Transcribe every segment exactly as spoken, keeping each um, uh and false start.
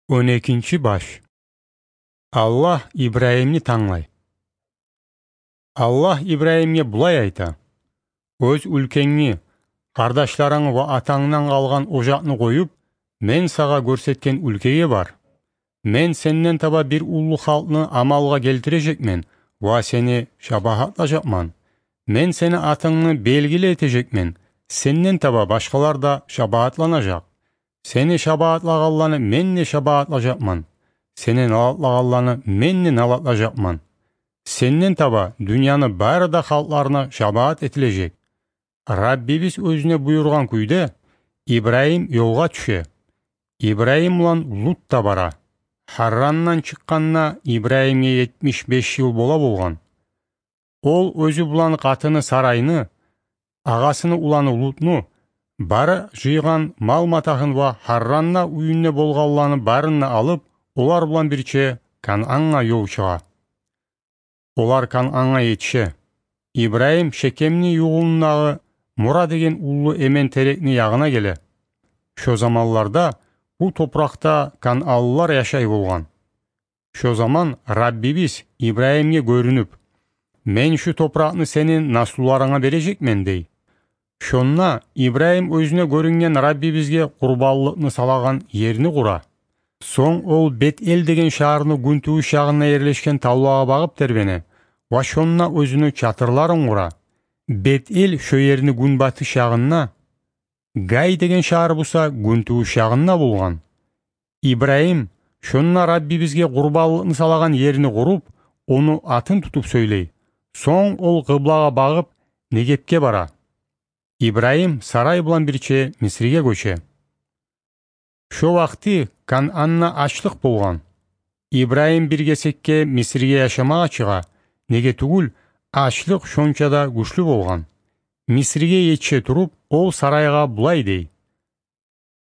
Он экинчи баш. Аллагь Ибрагьимни танглай. Аллагь Ибрагьимге булай айта: «Оьз уьлкенгни, къардашларынгны ва атангдан къалгъан ожакъны къоюп, мен сагъа гёрсетген уьлкеге бар. Мен сенден таба бир уллу халкъны амалгъа гелтирежекмен ва сени шабагьатлажакъман. Мен сени атынгны белгили этежекмен, сенден таба башгъалар да шабагьатланажакъ. Сени шабагьатлагъанланы мен де шабагьатлажакъман, сени налатлагъанланы мен де налатлажакъман. Сенден таба дюньяны бары да халкъларына шабагьат этилежек». Раббибиз оьзюне буюргъан кюйде, Ибрагьим ёлгъа тюше. Ибрагьим булан Лут да бара. Харрандан чыкъгъанда Ибрагьимге етмиш беш йыл бола болгъан. Ол оьзю булан къатыны Сарайны, агъасыны уланы Лутну, бары жыйгъан мал-матагьын ва Харранда уьюнде болгъанланы барын да алып, олар булан бирче Канангъа ёл чыгъа. Олар Канангъа етише. Ибрагьим Шекемни югъундагъы Мора деген уллу эмен терекни ягъына геле. Шо заманларда бу топуракъда кананлылар яшай болгъан. Шо заман Раббибиз Ибрагьимге гёрюнюп: «Мен шу топуракъны сени наслуларынга бережекмен», — дей. Шонда Ибрагьим оьзюне гёрюнген Раббибизге къурбанлыкъны салагъан ерни къура. Сонг ол Бет-Эл деген шагьарны гюнтувуш ягъында ерлешген тавлагъа багъып тербене ва шонда оьзюню чатырларын къура. Бет-Эл шо ерни гюнбатыш ягъында, Гай деген шагьар буса гюнтувуш ягъында болгъан. Ибрагьим шонда Раббибизге къурбанлыкъны салагъан ерни къуруп, ону атын тутуп сёйлей. Сонг ол къыблагъа багъып Негепге бара. Ибрагьим Сарай булан бирче Мисриге гёче. Шо вакъти Кананда ачлыкъ болгъан. Ибрагьим бир гесекге Мисриге яшамагъа чыгъа, неге тюгюл ачлыкъ шонча да гючлю болгъан. Мисриге етише туруп, ол Сарайгъа булай дей: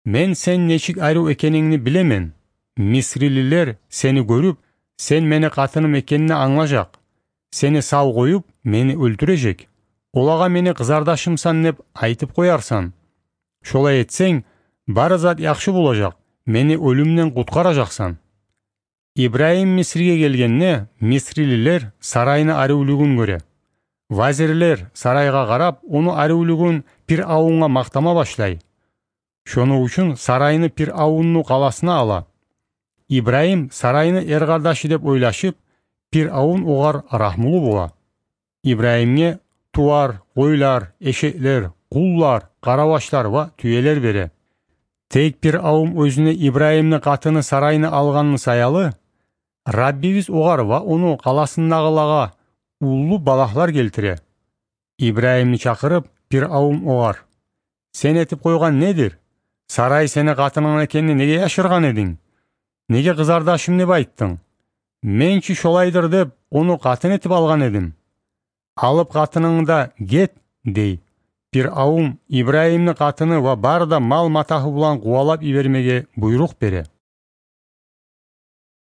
«Мен сен нечик арив экенингни билемен. Мисрилилер сени гёрюп, сен мени къатыным экенингни англажакъ. Сени сав къоюп, мени оьлтюрежек. Олагъа мени къызардашымсан деп айтып къоярсан. Шолай этсенг, бары зат яхшы болажакъ, мени оьлюмден къутгъаражакъсан». Ибрагьим Мисриге гелгенде, мисрилилер Сарайны аривлюгюн гёре. Вазирлер Сарайгъа къарап, ону аривлюгюн Пиръавунгъа макътама башлай. Шону учун Сарайны Пиръавунну къаласына ала. Ибрагьим Сарайны эркъардашы деп ойлашып, Пиръавун огъар рагьмулу бола. Ибрагьимге тувар, къойлар, эшеклер, къуллар, къаравашлар ва тюелер бере. Тек Пиръавун оьзюне Ибрагьимни къатыны Сарайны алгъанны саялы, Раббибиз огъар ва ону къаласындагъылагъа уллу балагьлар гелтире. Ибрагьимни чакъырып, Пиръавун огъар: «Сен этип къойгъан недир? Сарай сени къатынынг экенни неге яшыргъан эдинг? Неге къызардашым деп айтдынг? Мен чи шолайдыр деп, ону къатын этип алгъан эдим. Алып къатынынгны да гет», — дей. Пиръавун Ибрагьимни къатыны ва бары да мал-матагьы булан къувалап йибермеге буйрукъ бере.